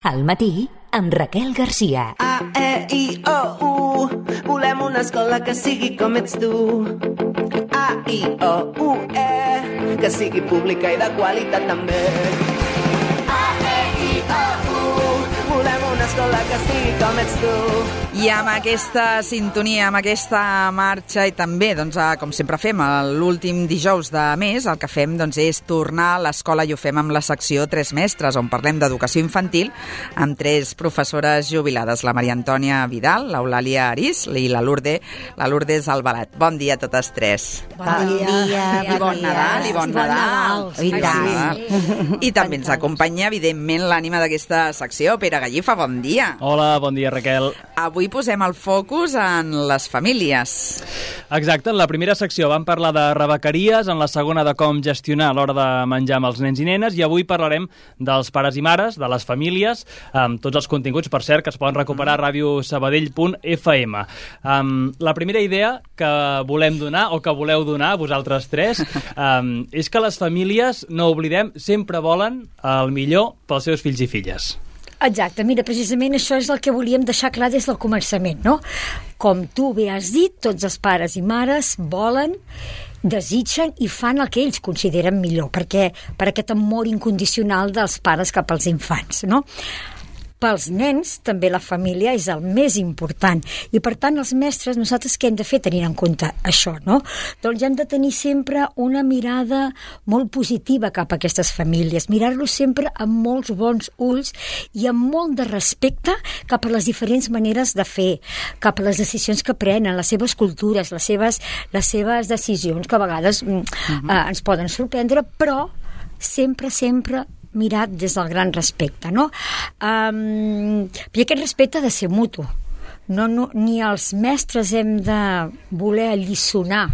Al matí, amb Raquel Garcia. A-E-I-O-U, volem una escola que sigui com ets tu. A-I-O-U-E, que sigui pública i de qualitat també. A-E-I-O-U, volem una escola que sigui com ets tu. I amb aquesta sintonia, amb aquesta marxa i també, doncs, com sempre fem, l'últim dijous de mes, el que fem és tornar a l'escola i ho fem amb la secció Tres Mestres, on parlem d'educació infantil amb tres professores jubilades, la Maria Antònia Vidal, l'Eulàlia Arís i la Lourdes Albalat. Bon dia a totes tres. Bon dia. I bon Nadal, i bon Nadal. I també ens acompanya, evidentment, l'ànima d'aquesta secció, Pere Gallifa, bon dia. Hola, bon dia, Raquel. Avui posem el focus en les famílies. Exacte, en la primera secció vam parlar de rebequeries, en la segona de com gestionar a l'hora de menjar amb els nens i nenes, i avui parlarem dels pares i mares, de les famílies, amb tots els continguts, per cert, que es poden recuperar a radiosabadell.fm. La primera idea que volem donar, o que voleu donar, vosaltres tres, és que les famílies, no oblidem, sempre volen el millor pels seus fills i filles. Exacte, mira, precisament això és el que volíem deixar clar des del començament, no? Com tu bé has dit, tots els pares i mares volen, desitgen i fan el que ells consideren millor, perquè per aquest amor incondicional dels pares cap als infants, no? Pels nens, també la família és el més important. I, per tant, els mestres, nosaltres què hem de fer tenint en compte això, no? Doncs hem de tenir sempre una mirada molt positiva cap a aquestes famílies, mirar-los sempre amb molts bons ulls i amb molt de respecte cap a les diferents maneres de fer, cap a les decisions que prenen, les seves cultures, les seves decisions, que a vegades ens poden sorprendre, però sempre mirat des del gran respecte, no? I aquest respecte ha de ser mutu. Ni els mestres hem de voler alliçonar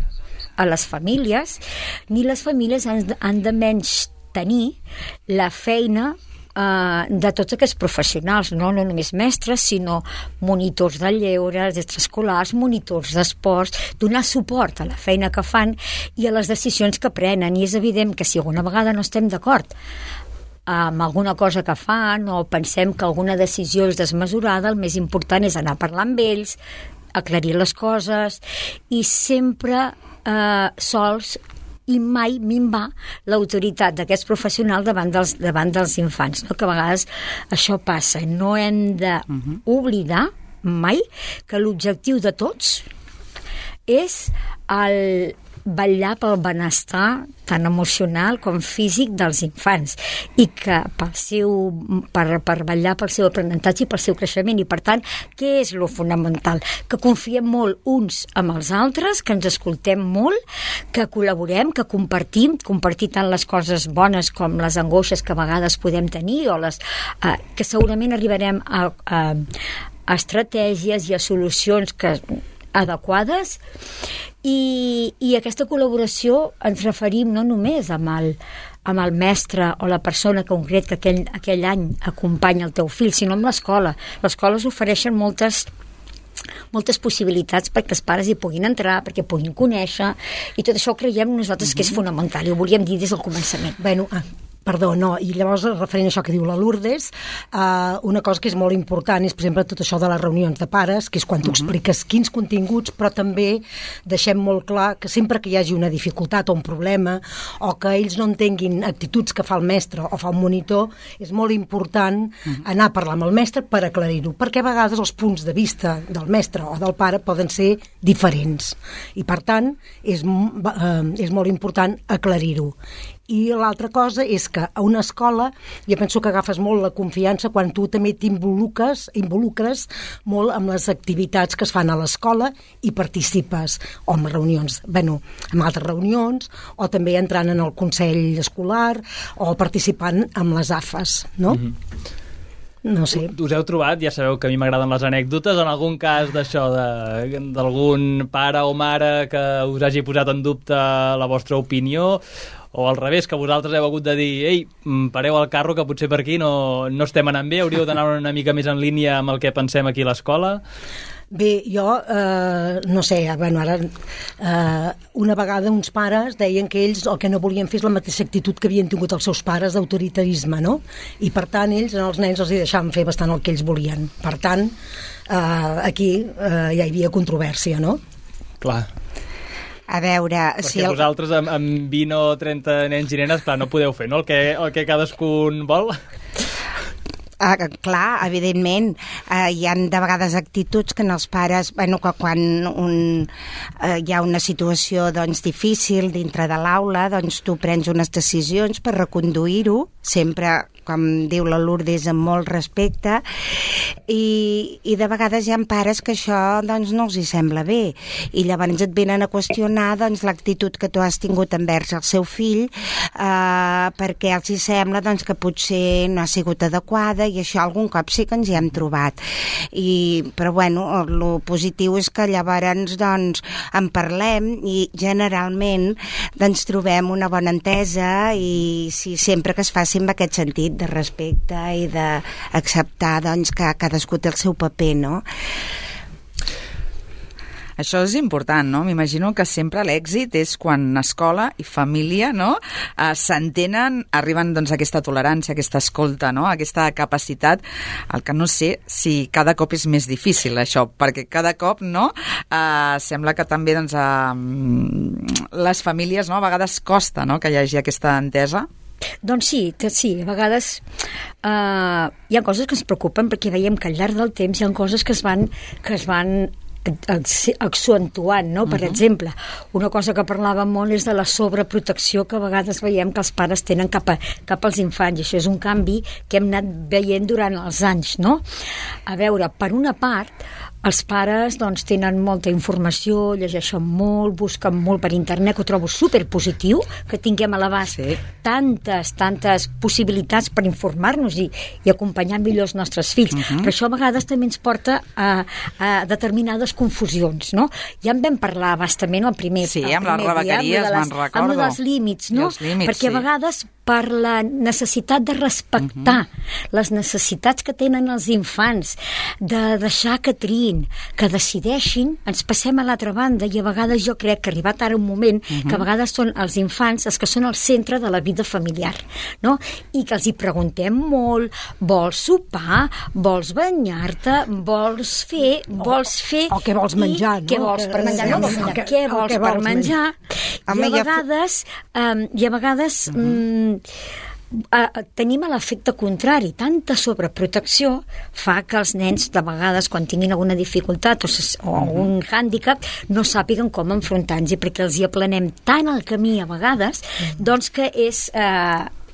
a les famílies, ni les famílies han de menys tenir la feina de tots aquests professionals, no només mestres, sinó monitors de lleure, d'extraescolars, monitors d'esports, donar suport a la feina que fan i a les decisions que prenen. I és evident que si alguna vegada no estem d'acord amb alguna cosa que fan o pensem que alguna decisió és desmesurada, el més important és anar a parlar amb ells, aclarir les coses i sempre sols i mai minvar l'autoritat d'aquests professionals davant dels infants, no? Que a vegades això passa. No hem d'oblidar mai que l'objectiu de tots és el vetllar pel benestar tant emocional com físic dels infants i que per vetllar pel seu aprenentatge i pel seu creixement. I per tant, què és lo fonamental? Que confiem molt uns amb els altres, que ens escoltem molt, que col·laborem, que compartir tant les coses bones com les angoixes que a vegades podem tenir o que segurament arribarem a estratègies i a solucions adequades. I aquesta col·laboració ens referim no només amb el mestre o la persona concret que aquell any acompanya el teu fill, sinó amb l'escola. Les escoles ofereixen moltes possibilitats perquè els pares hi puguin entrar, perquè puguin conèixer, i tot això ho creiem nosaltres que és fonamental, i ho volíem dir des del començament. I llavors, referent a això que diu la Lourdes, una cosa que és molt important és, per exemple, tot això de les reunions de pares, que és quan tu expliques quins continguts, però també deixem molt clar que sempre que hi hagi una dificultat o un problema, o que ells no entenguin actituds que fa el mestre o fa un monitor, és molt important anar a parlar amb el mestre per aclarir-ho, perquè a vegades els punts de vista del mestre o del pare poden ser diferents. I, per tant, és molt important aclarir-ho. I l'altra cosa és que a una escola jo penso que agafes molt la confiança quan tu també t'involucres molt amb les activitats que es fan a l'escola i participes o en reunions, en altres reunions, o també entrant en el consell escolar o participant amb les AFAs, no? No sé. Us heu trobat, ja sabeu que a mi m'agraden les anècdotes, en algun cas d'això, d'algun pare o mare que us hagi posat en dubte la vostra opinió, o al revés, que vosaltres heu hagut de dir ei, pareu el carro, que potser per aquí no estem anant bé, hauríeu d'anar una mica més en línia amb el que pensem aquí a l'escola? Bé, jo, no sé, bueno, ara una vegada uns pares deien que ells el que no volien fer és la mateixa actitud que havien tingut els seus pares d'autoritarisme, no? I per tant ells, als nens els hi deixaven fer bastant el que ells volien. Per tant, aquí ja hi havia controvèrsia, no? Clar. A veure... Perquè vosaltres amb 20 o 30 nens i nenes, clar, no podeu fer, no? El que cadascun vol... clar, evidentment, hi ha de vegades actituds que en els pares, bueno, que quan hi ha una situació doncs, difícil dintre de l'aula, doncs tu prens unes decisions per reconduir-ho, sempre, com diu la Lourdes, amb molt respecte, i de vegades hi ha pares que això doncs, no els hi sembla bé, i llavors et venen a qüestionar doncs, l'actitud que tu has tingut envers el seu fill, perquè els hi sembla doncs, que potser no ha sigut adequada, i això algun cop sí que ens hi hem trobat. Però bueno, el positiu és que llavors doncs, en parlem i generalment doncs, trobem una bona entesa i sempre que es faci en aquest sentit de respecte i d'acceptar doncs, que cadascú té el seu paper, no? Això és important, no? M'imagino que sempre l'èxit és quan escola i família, no? S'entenen, arriben doncs, a aquesta tolerància, a aquesta escolta, no? A aquesta capacitat. El que no sé si cada cop és més difícil, això, perquè cada cop, no? Sembla que també doncs, les famílies, no? A vegades costa, no? Que hi hagi aquesta entesa. Doncs sí, a vegades hi ha coses que ens preocupen perquè veiem que al llarg del temps hi ha coses que es van accentuant, no? Per exemple, una cosa que parlàvem molt és de la sobreprotecció que a vegades veiem que els pares tenen cap als infants, i això és un canvi que hem anat veient durant els anys, no? A veure, per una part, els pares doncs, tenen molta informació, llegeixen molt, busquen molt per internet, que ho trobo superpositiu, que tinguem a l'abast tantes possibilitats per informar-nos i acompanyar millor els nostres fills. Però això a vegades també ens porta a determinades confusions, no? Ja en vam parlar bastament el primer amb les rebequeries, me'n recordo. Amb dels límits, no? Perquè a vegades per la necessitat de respectar les necessitats que tenen els infants, de deixar que triïn, que decideixin, ens passem a l'altra banda, i a vegades jo crec que ha arribat ara un moment que a vegades són els infants els que són el centre de la vida familiar, no? I que els hi preguntem molt, vols sopar, vols banyar-te, vols fer... O què vols menjar, no? Què vols per menjar? No vols menjar, què vols per menjar? I a vegades tenim l'efecte contrari. Tanta sobreprotecció fa que els nens de vegades quan tinguin alguna dificultat o un hàndicap no sàpiguen com enfrontar-nos, perquè els hi aplanem tant el camí a vegades doncs que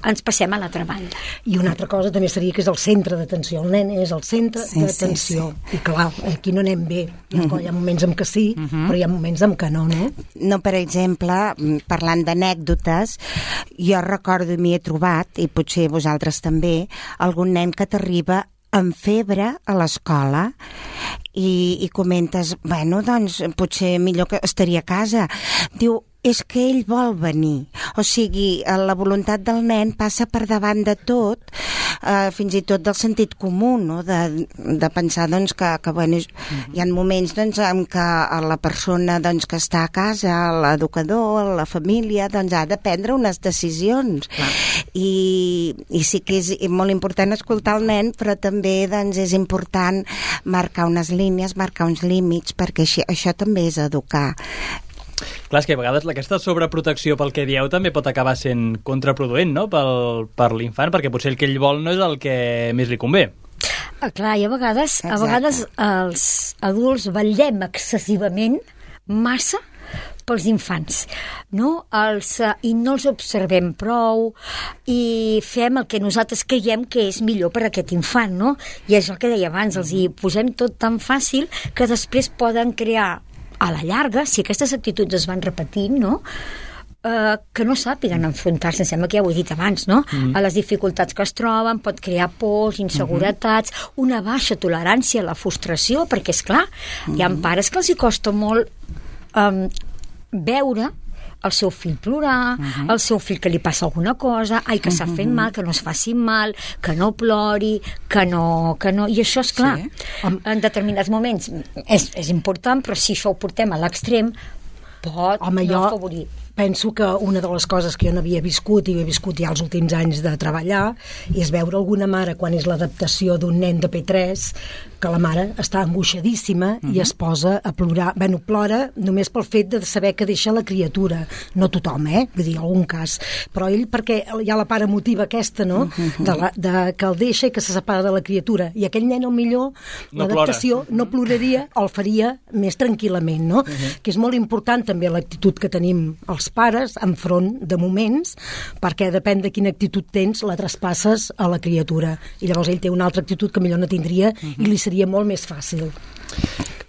ens passem a l'altra banda. I una altra cosa també seria que és el centre d'atenció. El nen és el centre d'atenció. I clar, aquí no anem bé. Hi ha moments en què sí, però hi ha moments en què no, no? No, per exemple, parlant d'anècdotes, jo recordo i m'hi he trobat, i potser vosaltres també, algun nen que t'arriba amb febre a l'escola i comentes, bueno, doncs potser millor que estaria a casa. Diu, és que ell vol venir. O sigui, la voluntat del nen passa per davant de tot, fins i tot del sentit comú, no? De pensar doncs, que bueno, hi ha moments doncs, en què la persona doncs, que està a casa, l'educador, la família, doncs, ha de prendre unes decisions. I sí que és molt important escoltar el nen, però també doncs, és important marcar unes línies, marcar uns límits, perquè això també és educar. Clar, és que a vegades aquesta sobreprotecció pel que dieu també pot acabar sent contraproduent, no?, per l'infant, perquè potser el que ell vol no és el que més li convé. Clar, i a vegades els adults vetllem excessivament massa pels infants, no? I no els observem prou i fem el que nosaltres creiem que és millor per a aquest infant, no? I és el que deia abans, els hi posem tot tan fàcil que després poden crear a la llarga, si aquestes actituds es van repetint, no? Que no sàpiguen enfrontar-se, em sembla que ja ho he dit abans, no? A les dificultats que es troben, pot crear pors, inseguretats, una baixa tolerància a la frustració, perquè, és clar, hi ha pares que els hi costa molt veure el seu fill plorar, el seu fill que li passa alguna cosa, que s'ha fet mal, que no es faci mal, que no plori, que no... I això, és clar, en determinats moments és important, però si això ho portem a l'extrem, pot no afavorir. Penso que una de les coses que jo n'havia viscut i he viscut ja els últims anys de treballar és veure alguna mare quan és l'adaptació d'un nen de P3 que la mare està angoixadíssima i es posa a plorar. Plora només pel fet de saber que deixa la criatura. No tothom, vull dir, en algun cas. Però ell, perquè hi ha la part emotiva aquesta, no?, de que el deixa i que se separa de la criatura. I aquell nen, millor, l'adaptació no ploraria o el faria més tranquil·lament, no? Que és molt important també l'actitud que tenim els pares enfront de moments, perquè depèn de quina actitud tens, la traspasses a la criatura. I llavors ell té una altra actitud que millor no tindria i li seria molt més fàcil.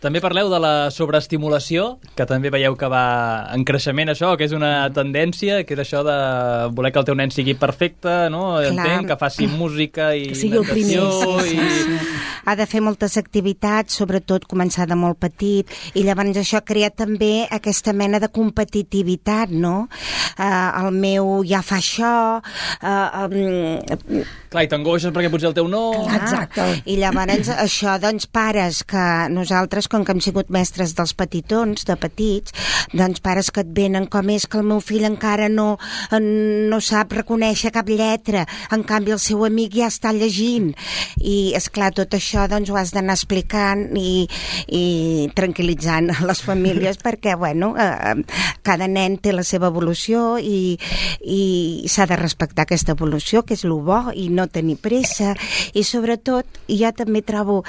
També parleu de la sobreestimulació, que també veieu que va en creixement això, que és una tendència, que és això de voler que el teu nen sigui perfecte, no? Entenc, que faci música i que sigui el primer. Ha de fer moltes activitats, sobretot començar de molt petit, i llavors això crea també aquesta mena de competitivitat, no? El meu ja fa això... Clar, i t'angoixes perquè potser el teu no... Exacte. I llavors això, doncs, pares que nosaltres, com que hem sigut mestres dels petitons, de petits, doncs pares que et venen com és que el meu fill encara no sap reconèixer cap lletra, en canvi el seu amic ja està llegint. I, esclar, tot això doncs ho has d'anar explicant i tranquil·litzant a les famílies perquè, bueno, cada nen té la seva evolució i s'ha de respectar aquesta evolució, que és el bo, i no tenir pressa. I sobretot, jo també trobo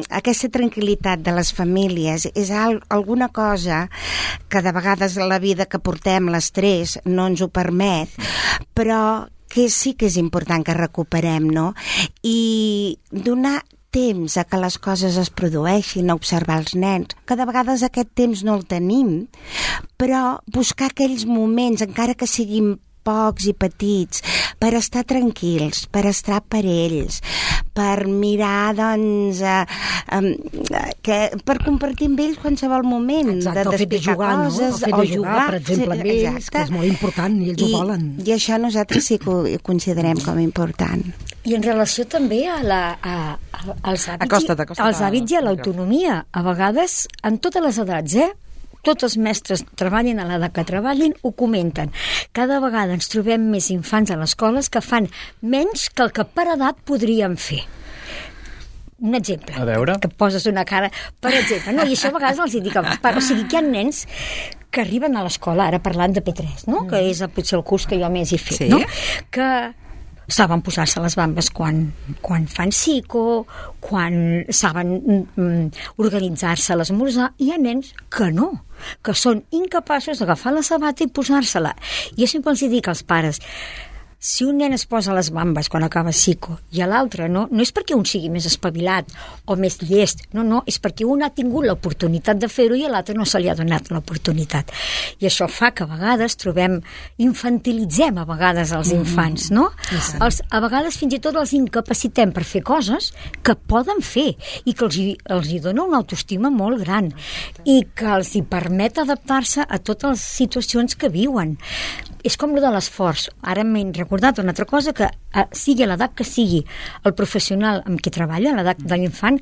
aquesta tranquil·litat de les famílies és alguna cosa que de vegades la vida que portem, l'estrès, no ens ho permet, però que sí que és important que recuperem, no? I donar temps a que les coses es produeixin, a observar els nens, que de vegades aquest temps no el tenim, però buscar aquells moments, encara que siguin pocs i petits, per estar tranquils, per estar per ells, per mirar, doncs, per compartir amb ells qualsevol moment. Exacte, el fet de jugar, coses, no? El fet de jugar, per exemple, amb ells, que és molt important, i ells ho volen. I això nosaltres sí que ho considerem com a important. I en relació també als hàbits i a l'autonomia. A vegades, en totes les edats, tots els mestres treballin a l'edat que treballin, ho comenten. Cada vegada ens trobem més infants a les escoles que fan menys que el que per edat podríem fer. Un exemple. A veure. Que poses una cara... Per exemple, no? I això a vegades els dic... O sigui, que hi ha nens que arriben a l'escola, ara parlant de P3, no? Que és potser el curs que jo més he fet, no? Que saben posar-se les bambes quan fan psico, quan saben organitzar-se a l'esmorzar. Hi ha nens que no, que són incapaços d'agafar la sabata i posar-se-la. I jo sempre els dic als pares, si un nen es posa les bambes quan acaba psico i a l'altre no és perquè un sigui més espavilat o més llest, no, és perquè un ha tingut l'oportunitat de fer-ho i a l'altre no se li ha donat l'oportunitat. I això fa que a vegades infantilitzem a vegades els infants, no? A vegades fins i tot els incapacitem per fer coses que poden fer i que els hi dona una autoestima molt gran i que els hi permet adaptar-se a totes les situacions que viuen. És com lo de l'esforç. Ara m'he recordat una altra cosa, que sigui a l'edat que sigui el professional amb qui treballa, a l'edat de l'infant,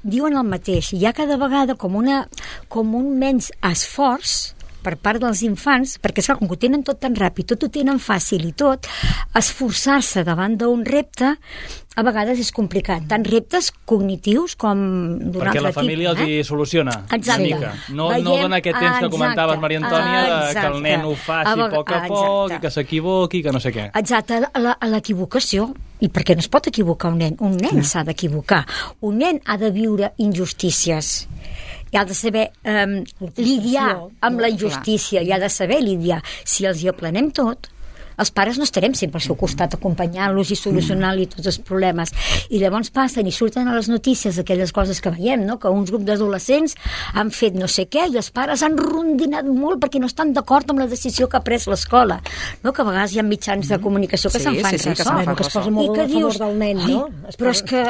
diuen el mateix. Hi ha cada vegada com un menys esforç per part dels infants, perquè com que ho tenen tot tan ràpid, tot ho tenen fàcil i tot, esforçar-se davant d'un repte a vegades és complicat, tant reptes cognitius com d'un altre tipus. Perquè la família els hi soluciona una mica. No dona aquest temps que comentaves, Maria Antònia, que el nen ho faci a poc a poc, i que s'equivoqui, que no sé què. Exacte, a l'equivocació. I perquè no es pot equivocar un nen? Un nen s'ha d'equivocar. Un nen ha de viure injustícies. I ha de saber lidiar amb la injustícia, i ha de saber lidiar. Si els hi aplanem tot, els pares no estarem sempre al seu costat acompanyant-los i solucionant-li tots els problemes. I llavors passen i surten a les notícies aquelles coses que veiem, no? Que uns grups d'adolescents han fet no sé què i els pares han rondinat molt perquè no estan d'acord amb la decisió que ha pres l'escola, no? Que a vegades hi ha mitjans de comunicació que se'n fan ressò. Que es posa molt a favor del nen, no? Però és que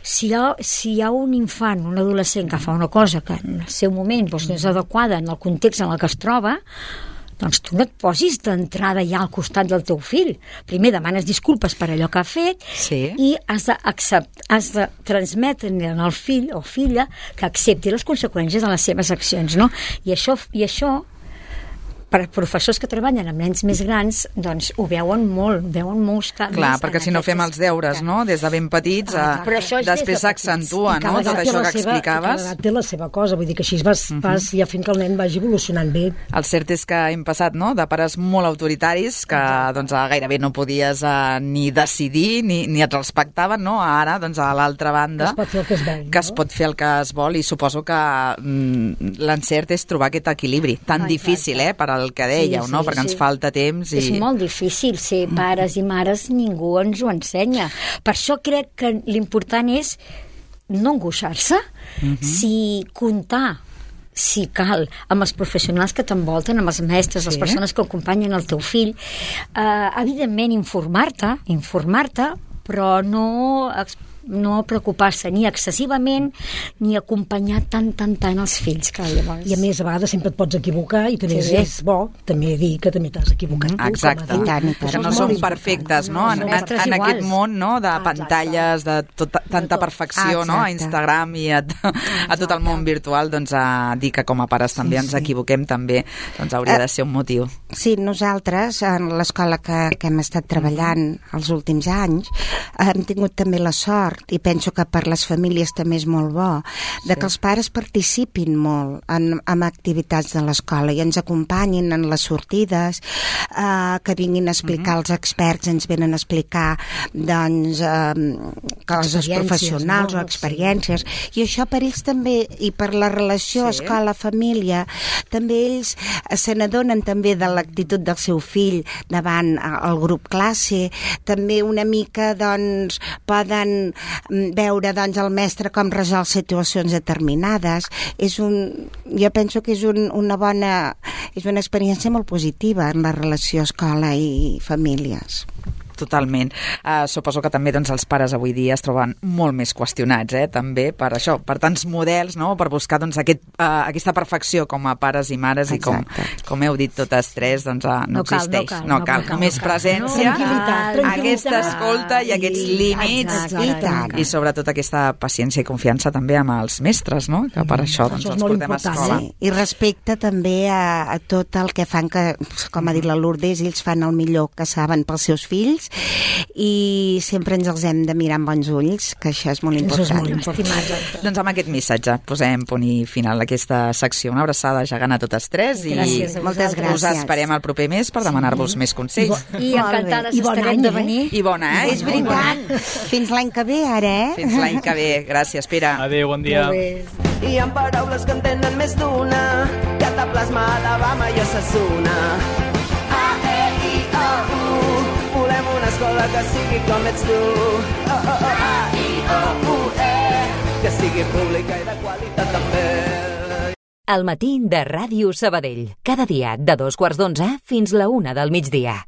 si hi ha un infant, un adolescent que fa una cosa que en el seu moment doncs, no és adequada en el context en el que es troba, doncs tu no et posis d'entrada ja al costat del teu fill. Primer demanes disculpes per allò que ha fet i has de transmetre al fill o filla que accepti les conseqüències de les seves accions, no? I això per professors que treballen amb nens més grans, doncs ho veuen molts canvis. Clar, perquè si no fem els deures, no?, des de ben petits, després s'accentua, no?, tot això que explicaves. Cada edat té la seva cosa, vull dir que així vas ja fent que el nen vagi evolucionant bé. El cert és que hem passat, no?, de pares molt autoritaris, que doncs gairebé no podies ni decidir, ni et respectaven, no?, ara, doncs a l'altra banda, es pot fer el que es vol, que es pot fer el que es vol, i suposo que l'encert és trobar aquest equilibri, tan difícil, per al que dèieu, no? Perquè ens falta temps. És molt difícil ser pares i mares, ningú ens ho ensenya. Per això crec que l'important és no angoixar-se, si comptar, si cal, amb els professionals que t'envolten, amb els mestres, les persones que acompanyen el teu fill, evidentment informar-te, però no preocupar-se ni excessivament ni acompanyar tant els fills que llavors... I a més, a vegades sempre et pots equivocar i també és bo també dir que també t'has equivocat tu. Exacte, que no som perfectes, no? En aquest món, no?, de pantalles, de tanta perfecció, no?, a Instagram i a tot el món virtual, doncs dir que com a pares també ens equivoquem també doncs hauria de ser un motiu. Sí, nosaltres, en l'escola que hem estat treballant els últims anys, hem tingut també la sort, i penso que per les famílies també és molt bo, de que els pares participin molt en activitats de l'escola i ens acompanyin en les sortides, que vinguin a explicar, els experts ens venen a explicar doncs coses professionals o experiències, i això per ells també, i per la relació escola-família, també ells se n'adonen també de l'actitud del seu fill davant el grup classe, també una mica doncs poden veure doncs el mestre com resol situacions determinades. Jo penso que és una experiència molt positiva en la relació escola i famílies. Totalment. Suposo que també doncs, els pares avui dia es troben molt més qüestionats, també per això, per tants models, no?, per buscar doncs, aquesta perfecció com a pares i mares. Exacte. I com heu dit totes tres, doncs no existeix. No cal. Només presència, aquesta escolta i aquests límits i sobretot aquesta paciència i confiança també amb els mestres, no?, que per això doncs, els portem a escola. I respecte també a tot el que fan, que com ha dit la Lourdes, ells fan el millor que saben pels seus fills, i sempre ens els hem de mirar amb bons ulls, que això és molt important. Doncs amb aquest missatge posem punt i final a aquesta secció. Una abraçada gegant a totes tres i moltes gràcies. Us esperem el proper mes per demanar-vos més consells. I encantades estarem de venir. I bon any. És veritat. Fins l'any que ve, ara, Fins l'any que ve. Gràcies, Pere. Adéu, bon dia. Hi ha paraules que en tenen més d'una, cataplasma, Alabama i Osasuna. A-E-I-O-U, volem una escola que sigui com ets tu. A-I-O-U-E, que sigui pública i de qualitat també. El matí de Ràdio Sabadell. Cada dia de 2:45 fins la 1 del migdia.